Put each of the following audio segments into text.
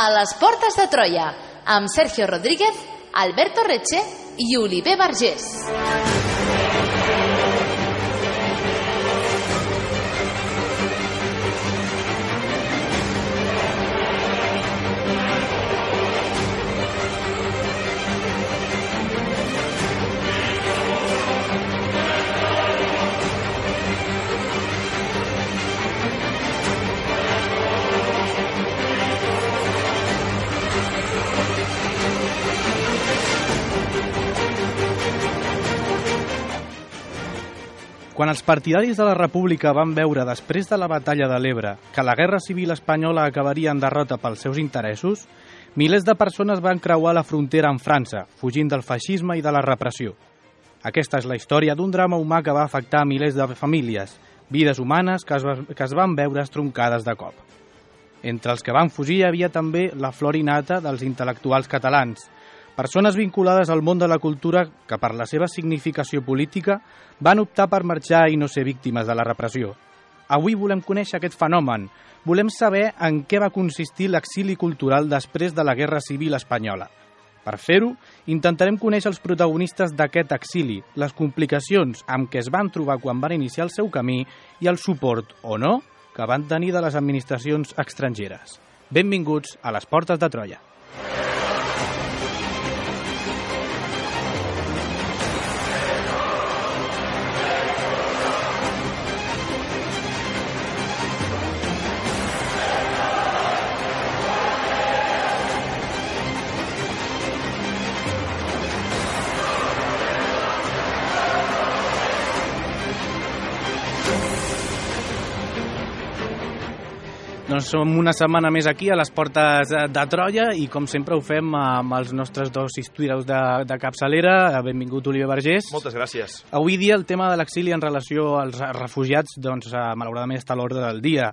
a les Portes de Troia, amb Sergio Rodríguez, Alberto Reche i Oliver Vergés. Quan els partidaris de la República van veure després de la batalla de l'Ebre que la guerra civil espanyola acabaria en derrota pels seus interessos, milers de persones van creuar la frontera amb França, fugint del feixisme i de la repressió. Aquesta és la història d'un drama humà que va afectar milers de famílies, vides humanes que es van veure estroncades de cop. Entre els que van fugir hi havia també la flor innata dels intel·lectuals catalans, persones vinculades al món de la cultura que, per la seva significació política, van optar per marxar i no ser víctimes de la repressió. Avui volem conèixer aquest fenomen. Volem saber en què va consistir l'exili cultural després de la Guerra Civil Espanyola. Per fer-ho, intentarem conèixer els protagonistes d'aquest exili, les complicacions amb què es van trobar quan van iniciar el seu camí i el suport, o no, que van tenir de les administracions estrangeres. Benvinguts a les Portes de Troia. Doncs som una setmana més aquí a les Portes de Troia i com sempre ho fem amb els nostres dos historiadors de capçalera. Benvingut, Oliver Vergés. Moltes gràcies. Avui dia el tema de l'exili en relació als refugiats doncs, malauradament està a l'ordre del dia.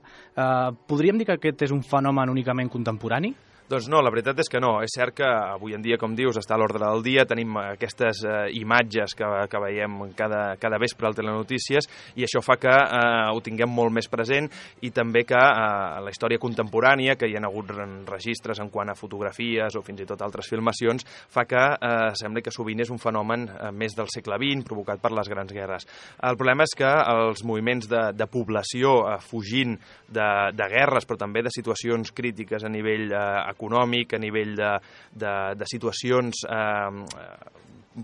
Podríem dir que aquest és un fenomen únicament contemporani? Doncs no, la veritat és que no. És cert que avui en dia, com dius, està a l'ordre del dia. Tenim aquestes imatges que veiem cada vespre al Telenotícies i això fa que ho tinguem molt més present i també que la història contemporània, que hi ha hagut registres en quant a fotografies o fins i tot altres filmacions, fa que sembla que sovint és un fenomen més del segle XX, provocat per les grans guerres. El problema és que els moviments de població fugint de guerres, però també de situacions crítiques a nivell econòmic, a nivell de situacions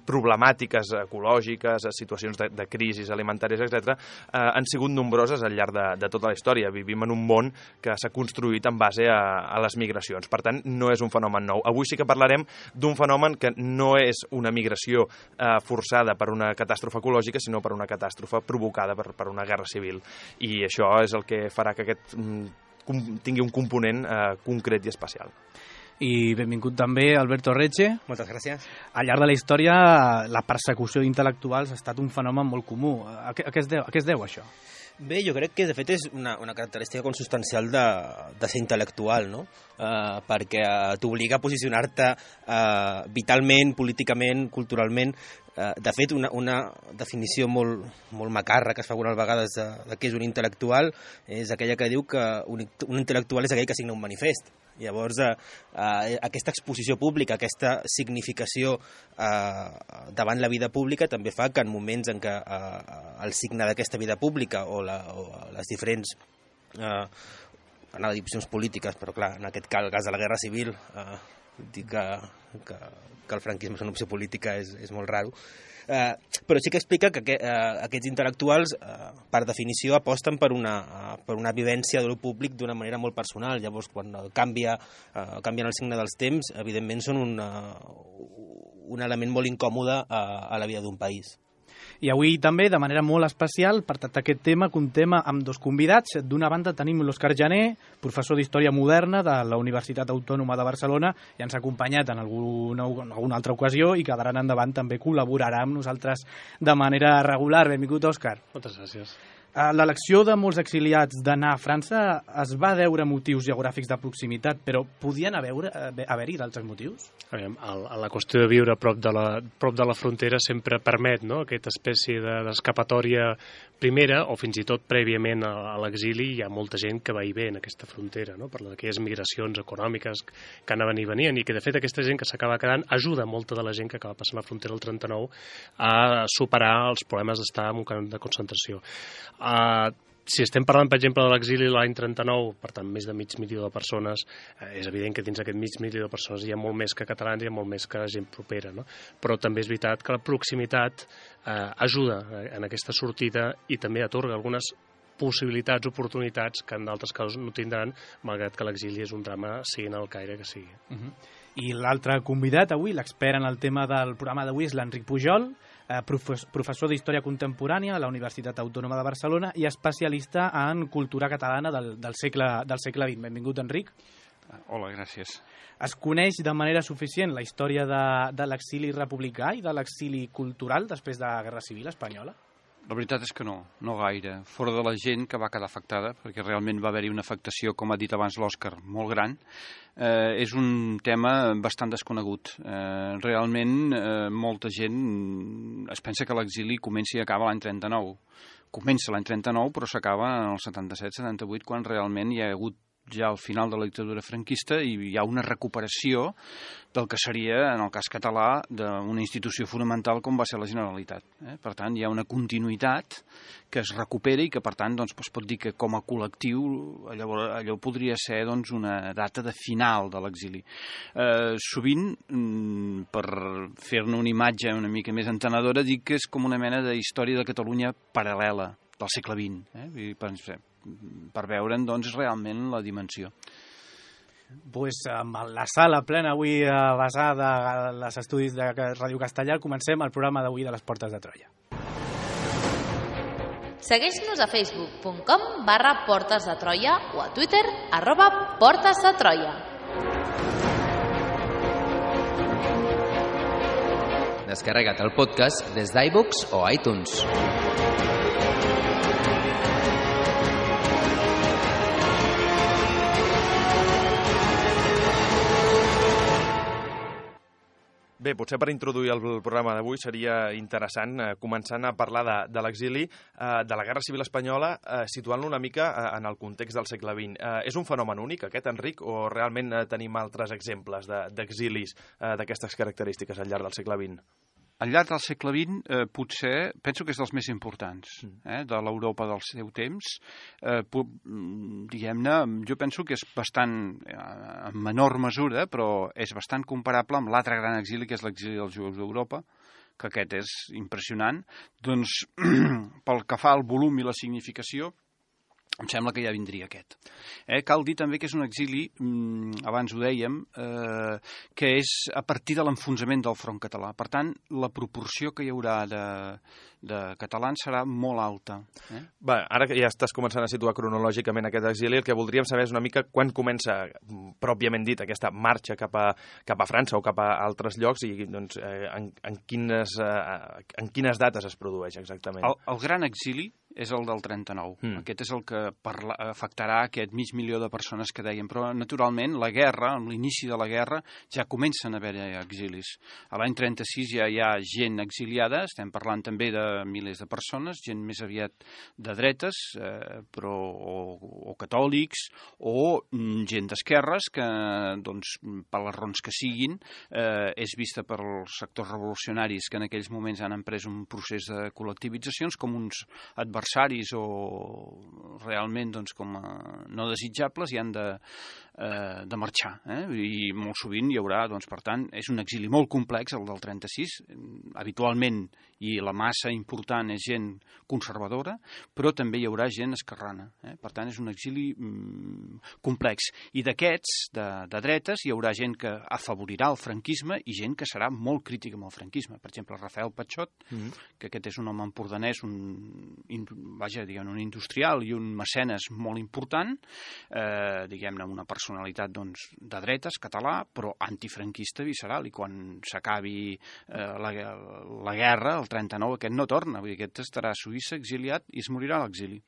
problemàtiques ecològiques, situacions de crisis alimentàries, etc., han sigut nombroses al llarg de tota la història. Vivim en un món que s'ha construït en base a les migracions. Per tant, no és un fenomen nou. Avui sí que parlarem d'un fenomen que no és una migració forçada per una catàstrofe ecològica, sinó per una catàstrofe provocada per una guerra civil. I això és el que farà que aquest tingui un component concret i especial. I benvingut també Alberto Reche. Moltes gràcies. Al llarg de la història, la persecució d'intel·lectuals ha estat un fenomen molt comú. A què es deu això? Bé, jo crec que de fet és una característica consubstancial de ser intel·lectual, no? Perquè t'obliga a posicionar-te vitalment, políticament, culturalment. De fet, una definició molt macarra que es fa algunes vegades de què és un intel·lectual és aquella que diu que un intel·lectual és aquell que signa un manifest. Llavors, aquesta exposició pública, aquesta significació davant la vida pública també fa que en moments en què el signe d'aquesta vida pública o les diferents opcions polítiques, però clar, en aquest cas de la Guerra Civil, dir que el franquisme és una opció política és molt raro, però sí que explica que aquests intel·lectuals, per definició, aposten per una vivència de lo públic d'una manera molt personal. Llavors, quan canvien el signe dels temps, evidentment són un element molt incòmode a la vida d'un país. I avui també, de manera molt especial, per tractar aquest tema, comptem amb dos convidats. D'una banda tenim l'Òscar Jané, professor d'Història Moderna de la Universitat Autònoma de Barcelona, i ens ha acompanyat en alguna altra ocasió i que d'ara endavant també col·laborarà amb nosaltres de manera regular. Benvingut, Òscar. Moltes gràcies. L'elecció de molts exiliats d'anar a França es va deure a motius geogràfics de proximitat, però podien haver-hi d'altres motius? La qüestió de viure prop de la frontera sempre permet, no?, aquesta espècie d'escapatòria primera, o fins i tot prèviament a l'exili. Hi ha molta gent que va i ve en aquesta frontera, no?, per aquelles migracions econòmiques que anaven i venien, i que de fet aquesta gent que s'acaba quedant ajuda molta de la gent que acaba passant la frontera del 39 a superar els problemes d'estar en un camp de concentració. Si estem parlant, per exemple, de l'exili l'any 39, per tant, més de 500.000 de persones, és evident que dins d'aquest 500.000 de persones hi ha molt més que catalans, hi ha molt més que gent propera, no? Però també és veritat que la proximitat ajuda en aquesta sortida i també atorga algunes possibilitats, oportunitats que en d'altres casos no tindran, malgrat que l'exili és un drama, siguin al Caire que sigui. I l'altre convidat avui, l'expert en el tema del programa d'avui, és l'Enric Pujol, professor d'Història Contemporània a la Universitat Autònoma de Barcelona i especialista en cultura catalana del segle XX. Benvingut, Enric. Hola, gràcies. Es coneix de manera suficient la història de l'exili republicà i de l'exili cultural després de la Guerra Civil espanyola? La veritat és que no gaire. Fora de la gent que va quedar afectada, perquè realment va haver-hi una afectació, com ha dit abans l'Òscar, molt gran, és un tema bastant desconegut. Realment, molta gent es pensa que l'exili comença i acaba l'any 39. Comença l'any 39, però s'acaba en el 77-78, quan realment hi ha hagut ja al final de la dictadura franquista i hi ha una recuperació del que seria, en el cas català, d'una institució fonamental com va ser la Generalitat. Per tant, hi ha una continuïtat que es recupera i que, per tant, doncs, es pot dir que com a col·lectiu allò podria ser doncs, una data de final de l'exili. Sovint, per fer-ne una imatge una mica més entenedora, dic que és com una mena de història de Catalunya paral·lela del segle XX, per veure'n doncs, realment la dimensió. Pues, amb la sala plena avui basada en els estudis de Ràdio Castellar, comencem el programa d'avui de les Portes de Troia. Segueix-nos a facebook.com/Portes de Troia o a Twitter @Portes de Troia. Descarrega't el podcast des d'iVoox o iTunes. Bé, potser per introduir el programa d'avui seria interessant començant a parlar de l'exili, de la Guerra Civil Espanyola, situant-lo una mica en el context del segle XX. És un fenomen únic, aquest, Enric, o realment tenim altres exemples d'exilis d'aquestes característiques al llarg del segle XX? Al llarg del segle XX, potser, penso que és dels més importants de l'Europa del seu temps. Diguem-ne, jo penso que és bastant, en menor mesura, però és bastant comparable amb l'altre gran exili, que és l'exili dels jueus d'Europa, que aquest és impressionant. Doncs, pel que fa al volum i la significació, em sembla que ja vindria aquest. Cal dir també que és un exili, abans ho dèiem, que és a partir de l'enfonsament del front català. Per tant, la proporció que hi haurà de catalans serà molt alta. Bé, ara que ja estàs començant a situar cronològicament aquest exili, el que voldríem saber és una mica quan comença, pròpiament dit, aquesta marxa cap a França o cap a altres llocs i doncs, en quines dates es produeix exactament. El gran exili és el del 39. Aquest és el que afectarà aquest 500.000 de persones que dèiem. Però, naturalment, la guerra, amb l'inici de la guerra, ja comencen a haver exilis. A l'any 36 ja hi ha gent exiliada, estem parlant també de milers de persones, gent més aviat de dretes, o catòlics, o gent d'esquerres que, doncs, per les raons que siguin, és vista pels sectors revolucionaris que en aquells moments han emprès un procés de col·lectivitzacions com uns adversaris o realment doncs, com no desitjables i han de marxar. I molt sovint hi haurà, doncs, per tant, és un exili molt complex, el del 36, habitualment, i la massa important és gent conservadora, però també hi haurà gent esquerrana. Per tant, és un exili complex. I d'aquests, de dretes, hi haurà gent que afavorirà el franquisme i gent que serà molt crítica amb el franquisme. Per exemple, Rafael Patxot, que aquest és un home empordanès, un un industrial i un mecenes molt important, diguem-ne, una personalitat de dretes, català, però antifranquista visceral, i quan s'acabi la guerra, el 39, aquest no torna, vull dir, aquest estarà a Suïssa exiliat i es morirà a l'exili.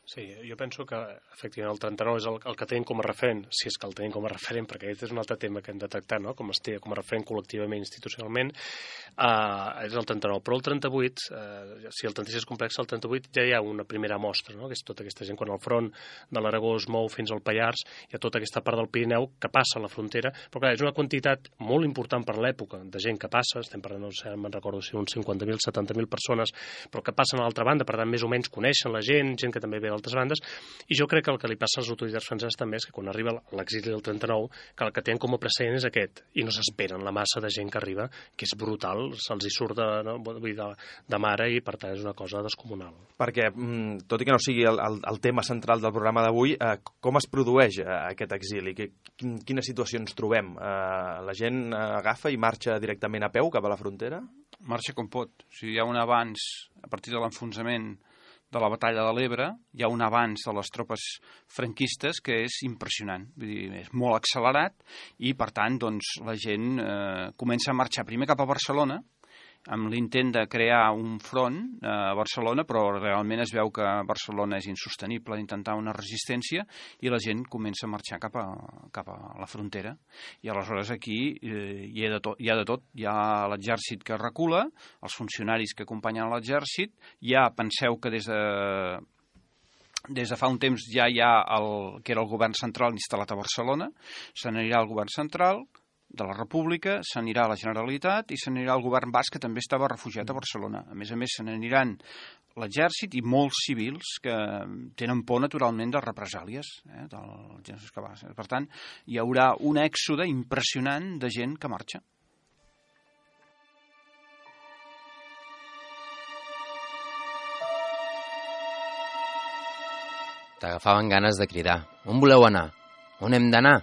Sí, jo penso que efectivament el 39 és el que tenim com a referent, si és que el tenim com a referent, perquè aquest és un altre tema que hem de tractar, no? Com es té com a referent col·lectivament, institucionalment, és el 39. Però el 38, si el 36 és complex, el 38 ja hi ha una primera mostra, no? Que és tota aquesta gent, quan el front de l'Aragó es mou fins al Pallars, hi ha tota aquesta part del Pirineu que passa a la frontera, però clar, és una quantitat molt important per l'època de gent que passa, estem parlant, no sé, me'n recordo si uns 50.000, 70.000 persones, però que passen a l'altra banda, per tant, més o menys coneixen la gent que també ve d'altres bandes, i jo crec que el que li passa als autoritats franceses també és que quan arriba l'exili del 39, que el que tenen com a precedent és aquest, i no s'esperen la massa de gent que arriba, que és brutal, se'ls hi surt de mare, i per tant és una cosa descomunal. Perquè, tot i que no sigui el tema central del programa d'avui, com es produeix aquest exili? Quines situacions trobem? La gent agafa i marxa directament a peu cap a la frontera? Marxa com pot. O sigui, hi ha un abans, a partir de l'enfonsament de la batalla de l'Ebre, hi ha un avanç de les tropes franquistes que és impressionant, vull dir, és molt accelerat, i per tant la gent comença a marxar primer cap a Barcelona, amb l'intent de crear un front a Barcelona, però realment es veu que Barcelona és insostenible, d'intentar una resistència, i la gent comença a marxar cap a la frontera. I aleshores aquí hi ha de tot. Hi ha l'exèrcit que recula, els funcionaris que acompanyen l'exèrcit, penseu que des de fa un temps ja hi ha que era el govern central instal·lat a Barcelona, se n'anirà al govern central de la República, s'anirà a la Generalitat i s'anirà al govern basc, que també estava refugiat a Barcelona. A més, se n'aniran l'exèrcit i molts civils que tenen por, naturalment, de represàlies dels gens que va. Per tant, hi haurà un èxode impressionant de gent que marxa. T'agafaven ganes de cridar. On voleu anar? On hem d'anar?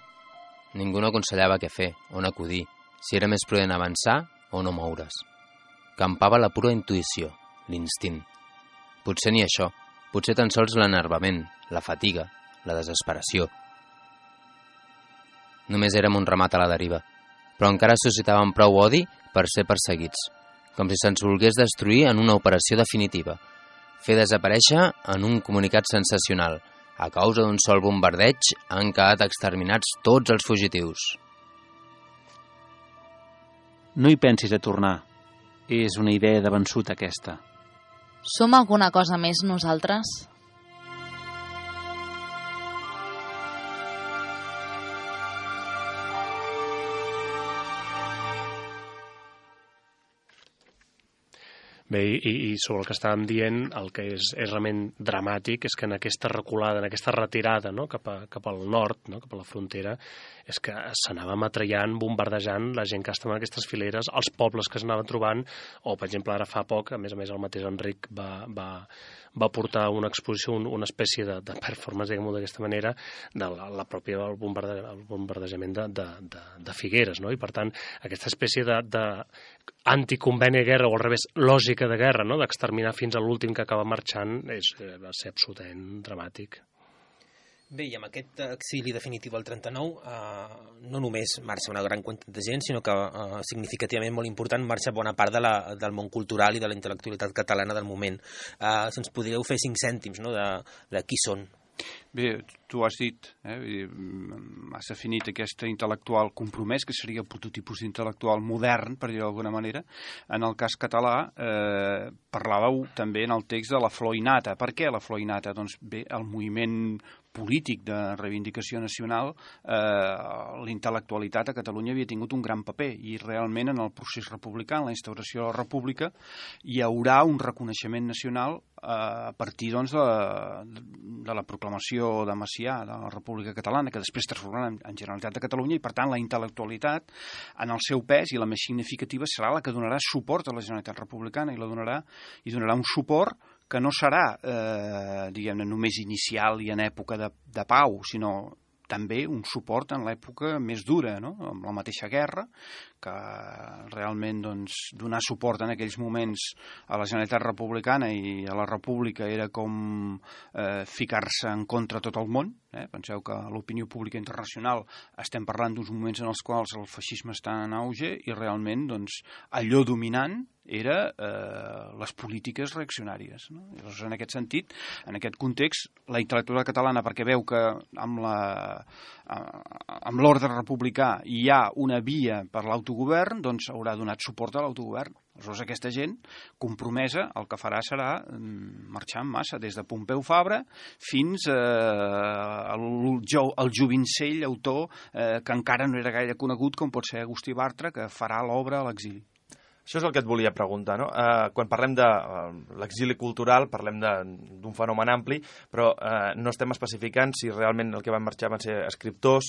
Ningú no aconsellava què fer, on acudir, si era més prudent avançar o no moure's. Campava la pura intuïció, l'instint. Potser ni això, potser tan sols l'enervament, la fatiga, la desesperació. Només érem un ramat a la deriva, però encara suscitàvem prou odi per ser perseguits, com si se'ns volgués destruir en una operació definitiva, fer desaparèixer en un comunicat sensacional. A causa d'un sol bombardeig han quedat exterminats tots els fugitius. No hi pensis a tornar. És una idea de vençut, aquesta. Som alguna cosa més nosaltres? Bé, i sobre el que estàvem dient, el que és realment dramàtic és que en aquesta reculada, en aquesta retirada, no, cap al nord, no, cap a la frontera, és que s'anava matrallant, bombardejant la gent que estava en aquestes fileres, els pobles que s'anaven trobant, o, per exemple, ara fa poc, a més el mateix Enric va portar una exposició, una espècie de performance, diguem-ho d'aquesta manera, de la pròpia bombardejament de Figueres, no? I per tant, aquesta espècie de anticonveni de guerra, o al revés, lògica de guerra, no? D'exterminar fins a l'últim que acaba marxant, va ser absolutament dramàtic. Bé, i amb aquest exili definitiu al 39 no només marxa una gran quantitat de gent, sinó que significativament molt important marxa bona part del món cultural i de la intel·lectualitat catalana del moment. Si ens podríeu fer 5 cèntims, no, de qui són. Bé, tu has dit, has definit aquest intel·lectual compromès, que seria el prototipus d'intel·lectual modern, per dir-ho d'alguna manera. En el cas català, parlàveu també en el text de la flor innata. Per què la flor innata? Doncs bé, el moviment polític de reivindicació nacional, l'intel·lectualitat a Catalunya havia tingut un gran paper, i realment en el procés republicà, en la instauració de la república, hi haurà un reconeixement nacional a partir doncs, de la proclamació de Macià de la República Catalana, que després transformarà en Generalitat de Catalunya, i per tant la intel·lectualitat en el seu pes, i la més significativa, serà la que donarà suport a la Generalitat Republicana, i donarà un suport que no serà, diguem-ne, només inicial i en època de pau, sinó també un suport en l'època més dura, no? Amb la mateixa guerra, que realment donar suport en aquells moments a la Generalitat Republicana i a la República era com ficar-se en contra tot el món. Penseu que a l'opinió pública internacional estem parlant d'uns moments en els quals el feixisme està en auge i realment allò dominant era les polítiques reaccionàries. No? Llavors, en aquest sentit, en aquest context, la intel·lectualitat catalana, perquè veu que amb l'ordre republicà hi ha una via per l'autogovern, doncs haurà donat suport a l'autogovern. Aleshores, aquesta gent compromesa el que farà serà marxar en massa, des de Pompeu Fabra fins al jovencell autor que encara no era gaire conegut, com pot ser Agustí Bartra, que farà l'obra a l'exili. Això és el que et volia preguntar, no? Quan parlem de l'exili cultural, parlem d'un fenomen ampli, però no estem especificant si realment el que van marxar van ser escriptors,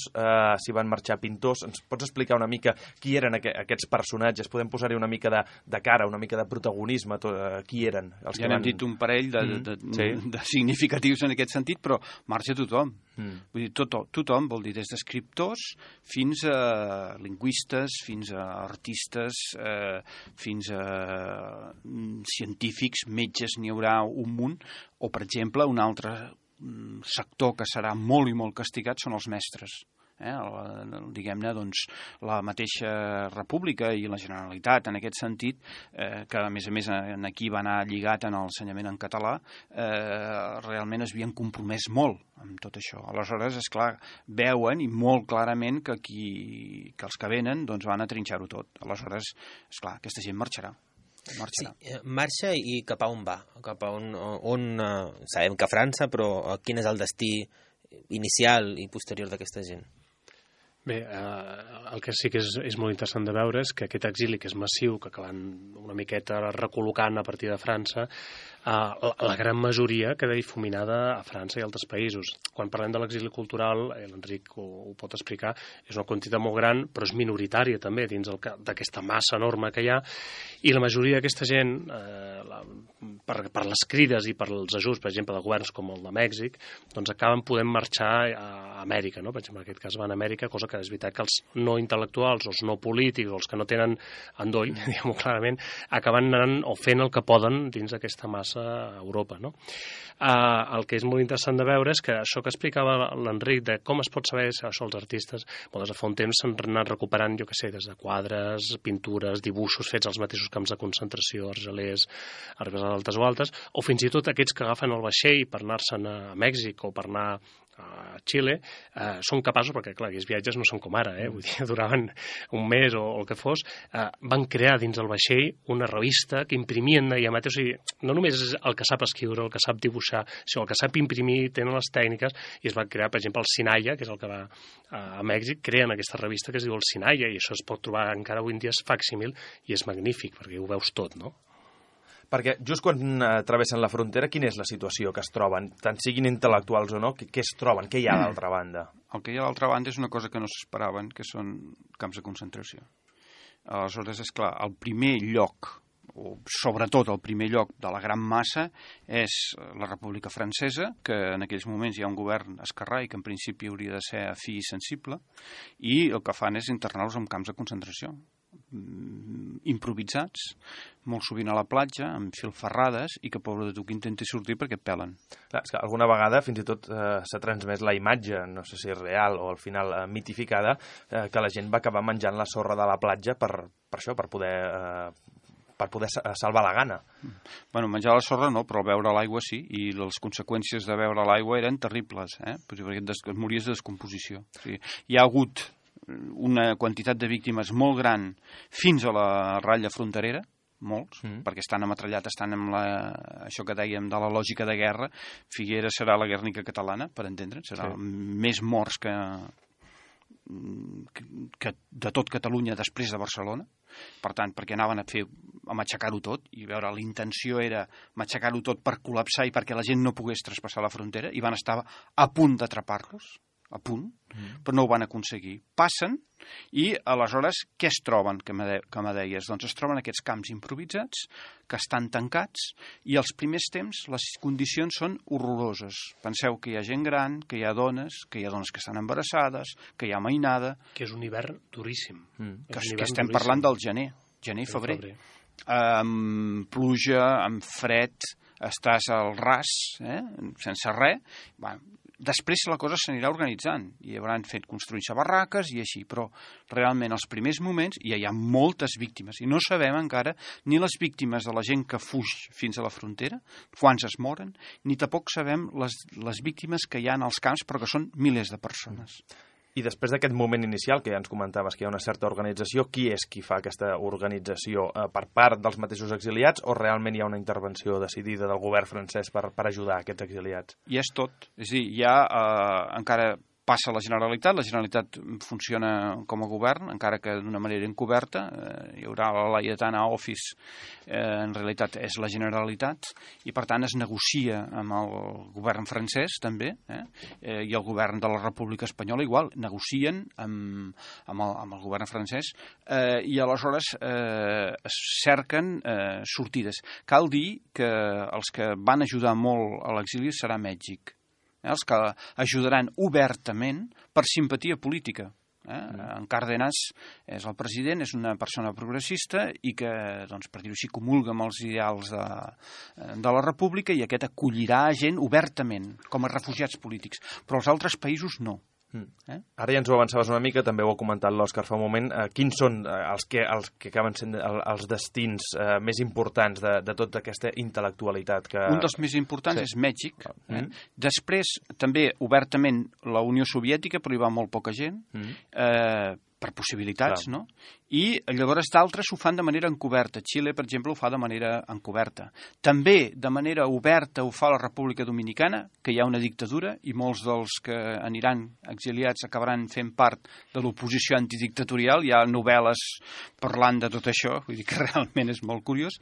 si van marxar pintors. Ens pots explicar una mica qui eren aquests personatges? Podem posar-hi una mica de cara, una mica de protagonisme? Qui eren? Ja n'hem dit un parell de significatius en aquest sentit, però marxa tothom. Vull dir, tothom vol dir des d'escriptors fins a lingüistes, fins a artistes, fins a científics, metges, n'hi haurà un munt, o per exemple un altre sector que serà molt i molt castigat són els mestres. Diguem-ne, la mateixa República i la Generalitat, en aquest sentit, que a més aquí va anar lligat en l'ensenyament en català, realment es havien compromès molt amb tot això. Aleshores, esclar, veuen i molt clarament que els que venen van a trinxar-ho tot. Aleshores, esclar, aquesta gent marxarà. Sí, marxa i cap a on va? Cap a on sabem que a França, però quin és el destí inicial i posterior d'aquesta gent? Bé, el que sí que és molt interessant de veure és que aquest exili, que és massiu, que acaben una miqueta recol·locant a partir de França, la gran majoria queda difuminada a França i altres països. Quan parlem de l'exili cultural, l'Enric ho pot explicar, és una quantitat molt gran, però és minoritària també dins d'aquesta massa enorme que hi ha, i la majoria d'aquesta gent, per les crides i per els ajuts, per exemple, de governs com el de Mèxic, doncs acaben podent marxar a Amèrica, no? Per exemple, en aquest cas van a Amèrica, cosa que és veritat que els no intel·lectuals, els no polítics, o els que no tenen endoll, diguem-ho clarament, acaben anant o fent el que poden dins d'aquesta massa a Europa, no? El que és molt interessant de veure és que això que explicava l'Enric de com es pot saber això els artistes, des de fa un temps s'han anat recuperant, jo què sé, des de quadres, pintures, dibuixos fets als mateixos camps de concentració, argelers, altes o altes, o fins i tot aquests que agafen el vaixell per anar-se'n a Mèxic o per anar a Xile, són capaços, perquè clar, aquests viatges no són com ara, vull dir, duraven un mes o el que fos, van crear dins del vaixell una revista que imprimien allà mateix, o sigui, no només és el que sap escriure, el que sap dibuixar, sinó el que sap imprimir, tenen les tècniques, i es va crear, per exemple, el Sinaya, que és el que va a Mèxic, creen aquesta revista que es diu el Sinaya, i això es pot trobar encara avui en dia, és facsímil, i és magnífic, perquè ho veus tot, no? Perquè just quan travessen la frontera, quina és la situació que es troben? Tant siguin intel·lectuals o no, què es troben? Què hi ha a l'altra banda? El que hi ha a l'altra banda és una cosa que no s'esperaven, que són camps de concentració. Aleshores, és clar, el primer lloc, o sobretot el primer lloc de la gran massa, és la República Francesa, que en aquells moments hi ha un govern esquerrà i que en principi hauria de ser afí i sensible, i el que fan és internar-los en camps de concentració improvisats, molt sovint a la platja, amb filferrades, i que pobre de tu que intenti sortir perquè et pelen. Clar, és que alguna vegada fins i tot s'ha transmès la imatge, no sé si és real o al final mitificada, que la gent va acabar menjant la sorra de la platja per això, per poder salvar la gana. Bueno, menjar la sorra no, però beure l'aigua sí, i les conseqüències de beure l'aigua eren terribles, perquè et mories de descomposició. O sigui, hi ha hagut una quantitat de víctimes molt gran fins a la ratlla fronterera, molts, perquè estan ametrallats, estan amb això que dèiem de la lògica de guerra. Figueres serà la Guernica catalana, per entendre'ns, serà més morts que de tot Catalunya després de Barcelona. Per tant, perquè anaven a matxacar-ho tot, i veure, la intenció era matxacar-ho tot per col·lapsar i perquè la gent no pogués traspassar la frontera, i van estar a punt d'atrapar-los. a punt, però no ho van aconseguir. Passen i aleshores què es troben, que me deies? Doncs es troben aquests camps improvisats que estan tancats i als primers temps les condicions són horroroses. Penseu que hi ha gent gran, que hi ha dones que estan embarassades, que hi ha mainada. Que és un hivern duríssim. Que estem parlant del gener i febrer. Amb pluja, amb fred, estàs al ras, sense res. Després la cosa s'anirà organitzant i hauran fet construir-se barraques i així, però realment els primers moments hi ha moltes víctimes i no sabem encara ni les víctimes de la gent que fuig fins a la frontera, quants es moren, ni tampoc sabem les víctimes que hi ha als camps, però que són milers de persones. I després d'aquest moment inicial, que ja ens comentaves que hi ha una certa organització, qui és qui fa aquesta organització? Per part dels mateixos exiliats o realment hi ha una intervenció decidida del govern francès per ajudar aquests exiliats? I és tot. És a dir, hi ha encara passa la Generalitat funciona com a govern, encara que d'una manera encoberta, hi haurà la Laietana Office, en realitat és la Generalitat, i per tant es negocia amb el govern francès també, i el govern de la República Espanyola igual, negocien amb el govern francès, i aleshores es cerquen sortides. Cal dir que els que van ajudar molt a l'exili serà Mèxic, els que ajudaran obertament per simpatia política. En Cárdenas és el president, és una persona progressista i que, doncs, per dir-ho així, comulga amb els ideals de la república i aquest acollirà gent obertament, com a refugiats polítics. Però els altres països no. Ara ja ens ho avançaves una mica, també ho ha comentat l'Òscar fa un moment. Quins són els que acaben sent els destins més importants de tota aquesta intel·lectualitat? Un dels més importants és Mèxic. Després, també, obertament, la Unió Soviètica, però hi va molt poca gent, per possibilitats, no? I llavors d'altres ho fan de manera encoberta. Xile, per exemple, ho fa de manera encoberta. També de manera oberta ho fa la República Dominicana, que hi ha una dictadura i molts dels que aniran exiliats acabaran fent part de l'oposició antidictatorial. Hi ha novel·les parlant de tot això, vull dir que realment és molt curiós.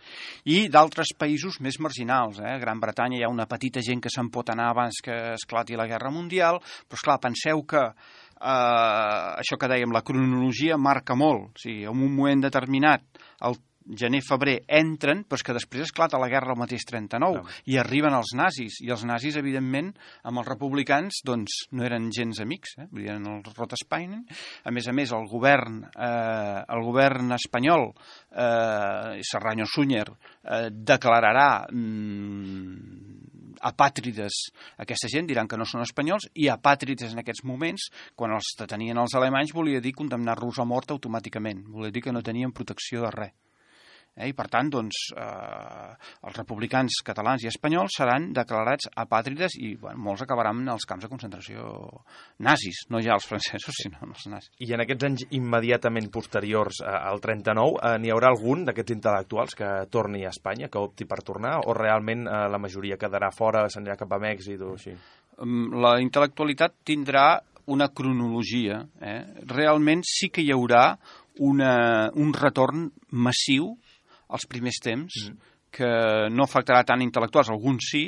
I d'altres països més marginals. A Gran Bretanya hi ha una petita gent que se'n pot anar abans que esclati la Guerra Mundial, però esclar, penseu que això que dèiem, la cronologia marca molt. O sigui, en un moment determinat, el gener-febrer entren, però és que després esclata la guerra al mateix 39 i arriben els nazis, i els nazis, evidentment, amb els republicans, doncs, no eren gens amics, vull dir, eren els Rothschild. A més, el govern espanyol, Serrano Suñer, declararà apàtrides aquesta gent, diran que no són espanyols, i apàtrides en aquests moments, quan els detenien els alemanys, volia dir condemnar-los a mort automàticament, volia dir que no tenien protecció de res. I per tant, doncs, els republicans catalans i espanyols seran declarats apàtrides i molts acabaran als camps de concentració nazis, no ja els francesos, sinó els nazis. I en aquests anys immediatament posteriors al 39, n'hi haurà algun d'aquests intel·lectuals que torni a Espanya, que opti per tornar, o realment la majoria quedarà fora, s'anirà cap a Mèxic o així? La intel·lectualitat tindrà una cronologia. Realment sí que hi haurà un retorn massiu als primers temps, que no afectarà tant intel·lectuals, alguns sí,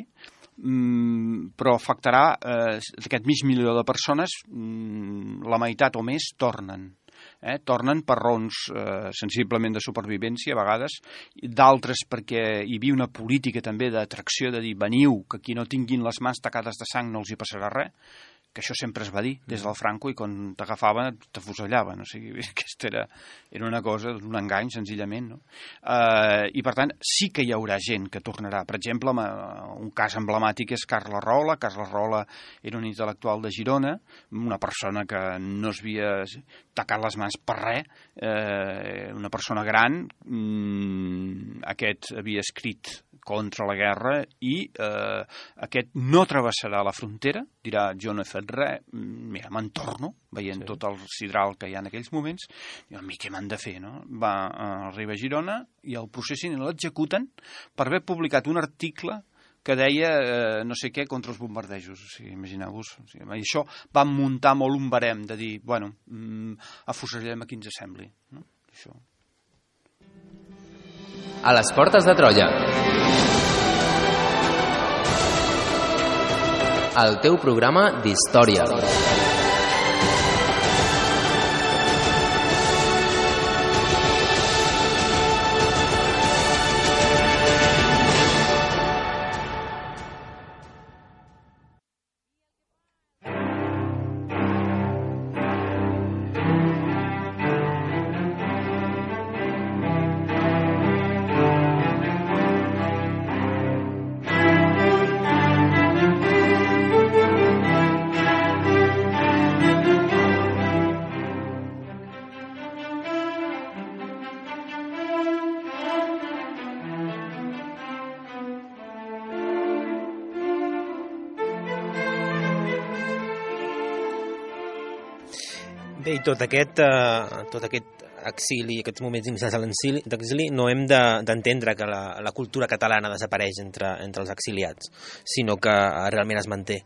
però afectarà aquest mig milió de persones, la meitat o més tornen. Tornen per raons sensiblement de supervivència a vegades, d'altres perquè hi havia una política també d'atracció, de dir veniu, que qui no tinguin les mans tacades de sang no els hi passarà res, que això sempre es va dir des del Franco, i quan t'agafaven t'afusellaven, o sigui, aquesta era una cosa, un engany senzillament, no? I per tant sí que hi haurà gent que tornarà. Per exemple, un cas emblemàtic és Carles Rahola. Carles Rahola era un intel·lectual de Girona, una persona que no s'havia tacat les mans per res, una persona gran, aquest havia escrit contra la guerra i aquest no travessarà la frontera, dirà jo no he fet res, mira, me'n torno, veient tot el sidral que hi ha en aquells moments, i a mi què m'han de fer, no? Arriba a Girona i el processin i l'executen per haver publicat un article que deia no sé què contra els bombardejos. O sigui, imagineu-vos. O sigui, això va muntar molt un barem de dir, bueno, afusellem a qui ens sembli. No? Això. A les portes de Troia. El teu programa d'història. Bé, i tot aquest exili, aquests moments inicials d'exili, no hem d'entendre que la cultura catalana desapareix entre els exiliats, sinó que realment es manté.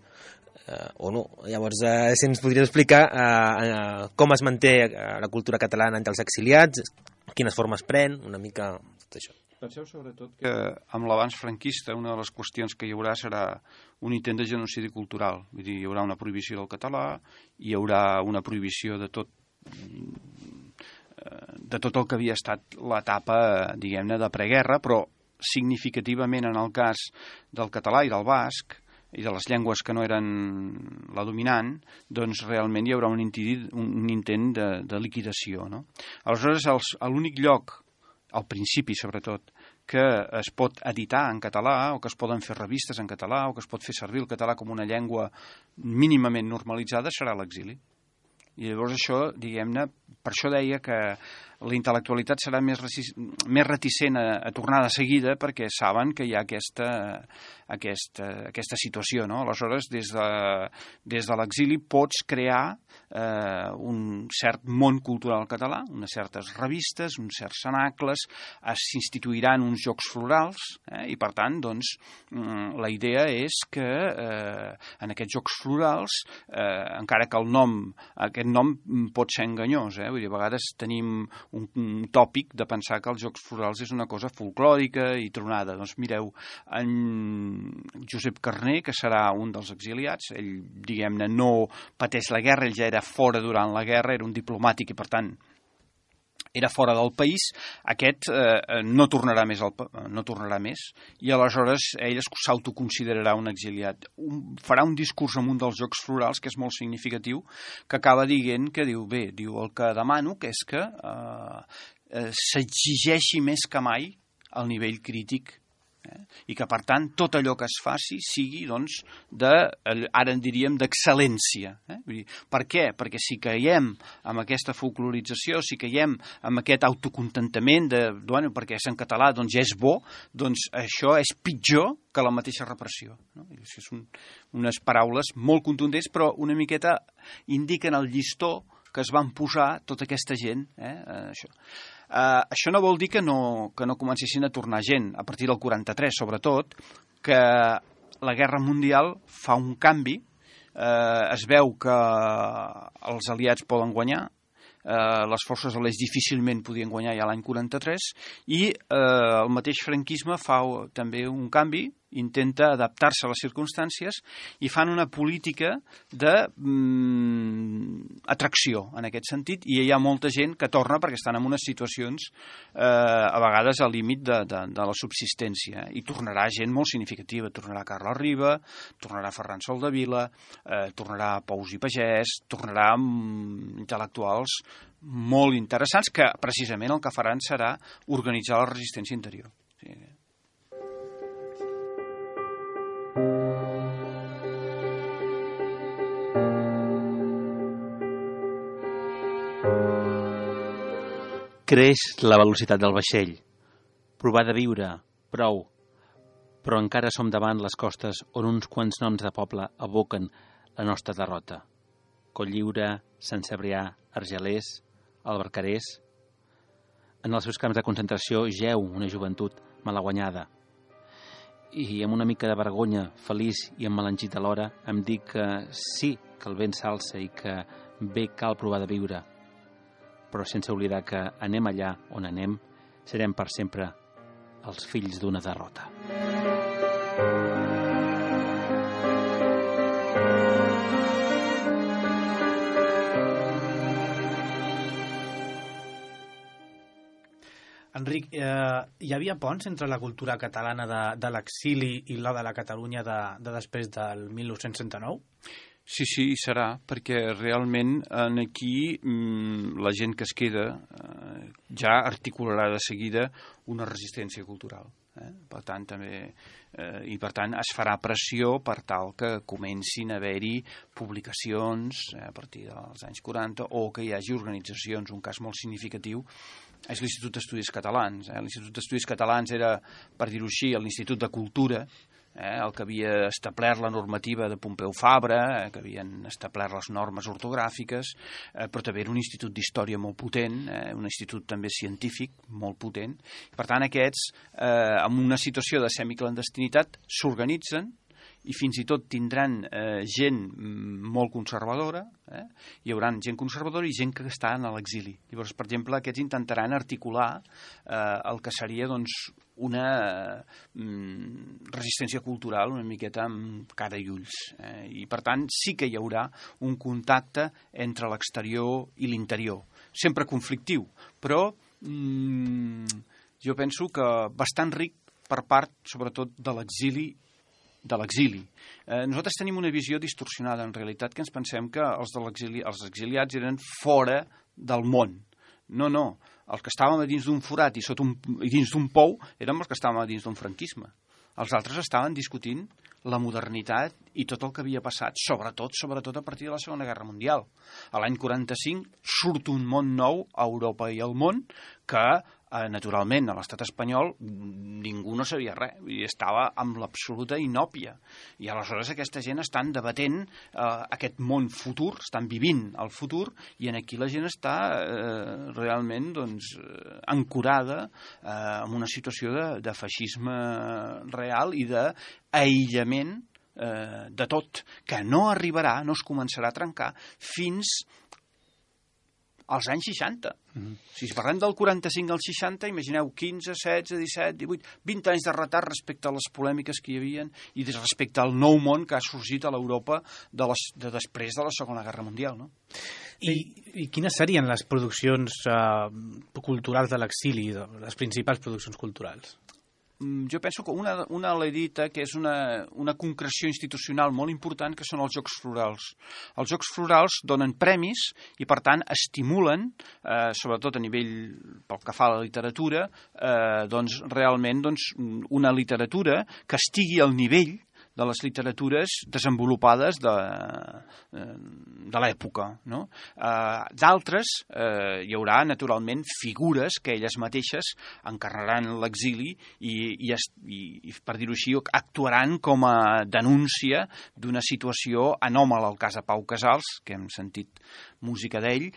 O no. Llavors, si ens podries explicar com es manté la cultura catalana entre els exiliats, quines formes pren, una mica tot això. Penseu sobretot que amb l'avanç franquista una de les qüestions que hi haurà serà un intent de genocidi cultural. Vull dir, hi haurà una prohibició del català, hi haurà una prohibició de tot el que havia estat l'etapa, diguem-ne, de preguerra, però significativament en el cas del català i del basc i de les llengües que no eren la dominant, doncs realment hi haurà un intent de liquidació, no? Aleshores, l'únic lloc, al principi sobretot, que es pot editar en català o que es poden fer revistes en català o que es pot fer servir el català com una llengua mínimament normalitzada serà l'exili. I llavors això, diguem-ne, per això deia que la intel·lectualitat serà més reticent a tornar de seguida perquè saben que hi ha aquesta situació, no? Aleshores, des de l'exili pots crear un cert món cultural català, unes certes revistes, uns certs cenacles, s'instituiran uns jocs florals, i per tant, doncs, la idea és que en aquests jocs florals, encara que aquest nom pot ser enganyós, vull dir, a vegades tenim un tòpic de pensar que els jocs florals és una cosa folclòrica i tronada. Doncs mireu, en Josep Carner, que serà un dels exiliats, ell, diguem-ne, no pateix la guerra, ell ja era fora durant la guerra, era un diplomàtic i per tant era fora del país, aquest no tornarà més i aleshores ell s'autoconsiderarà un exiliat. Farà un discurs en un dels jocs florals que és molt significatiu, que acaba dient que diu, el que demano que és que s'exigeixi més que mai el nivell crític i que, per tant, tot allò que es faci sigui, doncs, ara en diríem, d'excel·lència. Per què? Perquè si caiem amb aquesta folclorització, si caiem amb aquest autocontentament perquè és en català, doncs ja és bo, doncs això és pitjor que la mateixa repressió. Són unes paraules molt contundents, però una miqueta indiquen el llistó que es van posar tota aquesta gent, això. Això no vol dir que no comencessin a tornar gent, a partir del 43 sobretot, que la Guerra Mundial fa un canvi, es veu que els aliats poden guanyar, les forces de l'est difícilment podien guanyar ja l'any 43 i el mateix franquisme fa també un canvi, intenta adaptar-se a les circumstàncies i fan una política d'atracció en aquest sentit i hi ha molta gent que torna perquè estan en unes situacions a vegades al límit de la subsistència i tornarà gent molt significativa, tornarà Carles Riba, tornarà Ferran Soldevila, tornarà Pous i Pagès, tornarà intel·lectuals molt interessants que precisament el que faran serà organitzar la resistència interior. Sí. Creix la velocitat del vaixell. Provar de viure, prou. Però encara som davant les costes on uns quants noms de poble evoquen la nostra derrota. Cotlliure, Sant Cebrià, Argelers, Albarcarers. En els seus camps de concentració jeu una joventut malaguanyada. I amb una mica de vergonya, feliç i emmelanxit alhora, em dic que sí que el vent s'alça i que bé cal provar de viure. Però sense oblidar que anem allà on anem, serem per sempre els fills d'una derrota. Enric, hi havia ponts entre la cultura catalana de l'exili i la de la Catalunya de després del 1939? Sí, hi serà, perquè realment aquí la gent que es queda ja articularà de seguida una resistència cultural. Per tant, es farà pressió per tal que comencin a haver-hi publicacions a partir dels anys 40 o que hi hagi organitzacions. Un cas molt significatiu és l'Institut d'Estudis Catalans. L'Institut d'Estudis Catalans era, per dir-ho així, l'Institut de Cultura el que havia establert la normativa de Pompeu Fabra, que havien establert les normes ortogràfiques, però també era un institut d'història molt potent, un institut també científic molt potent. Per tant, aquests, en una situació de semiclandestinitat, s'organitzen i fins i tot tindran gent molt conservadora, hi haurà gent conservadora i gent que està a l'exili. Llavors, per exemple, aquests intentaran articular el que seria una resistència cultural una miqueta amb cara i ulls. I, per tant, sí que hi haurà un contacte entre l'exterior i l'interior. Sempre conflictiu, però jo penso que bastant ric per part, sobretot, de l'exili. Nosaltres tenim una visió distorsionada, en realitat, que ens pensem que els exiliats eren fora del món. No. Els que estàvem a dins d'un forat i dins d'un pou érem els que estàvem a dins d'un franquisme. Els altres estaven discutint la modernitat i tot el que havia passat, sobretot a partir de la Segona Guerra Mundial. A l'any 45 surt un món nou a Europa i al món que, naturalment, a l'estat espanyol ningú no sabia res i estava amb l'absoluta inòpia. I aleshores aquesta gent estan debatent aquest món futur, estan vivint el futur, i aquí la gent està realment ancorada en una situació de feixisme real i d'aïllament de tot, que no arribarà, no es començarà a trencar fins als anys 60. Si parlem del 45 al 60, imagineu 15, 16, 17, 18, 20 anys de retard respecte a les polèmiques que hi havia i respecte al nou món que ha sorgit a l'Europa de després de la Segona Guerra Mundial. No? I quines serien les produccions culturals de l'exili, les principals produccions culturals? Jo penso que una l'he dita, que és una concreció institucional molt important, que són els Jocs Florals. Els Jocs Florals donen premis i, per tant, estimulen, sobretot a nivell, pel que fa a la literatura, realment una literatura que estigui al nivell de les literatures desenvolupades de l'època. No? D'altres, hi haurà naturalment figures que elles mateixes encarnaran l'exili i, per dir-ho així, actuaran com a denúncia d'una situació anòmala. El cas de Pau Casals, que hem sentit música d'ell,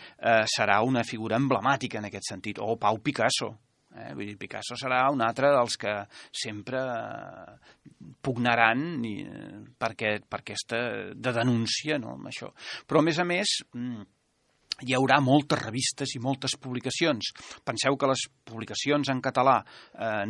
serà una figura emblemàtica en aquest sentit, o Pau Picasso. Vull dir, Picasso serà un altre dels que sempre pugnaran per aquesta de denúncia, no, amb això. Però, a més, hi haurà moltes revistes i moltes publicacions. Penseu que les publicacions en català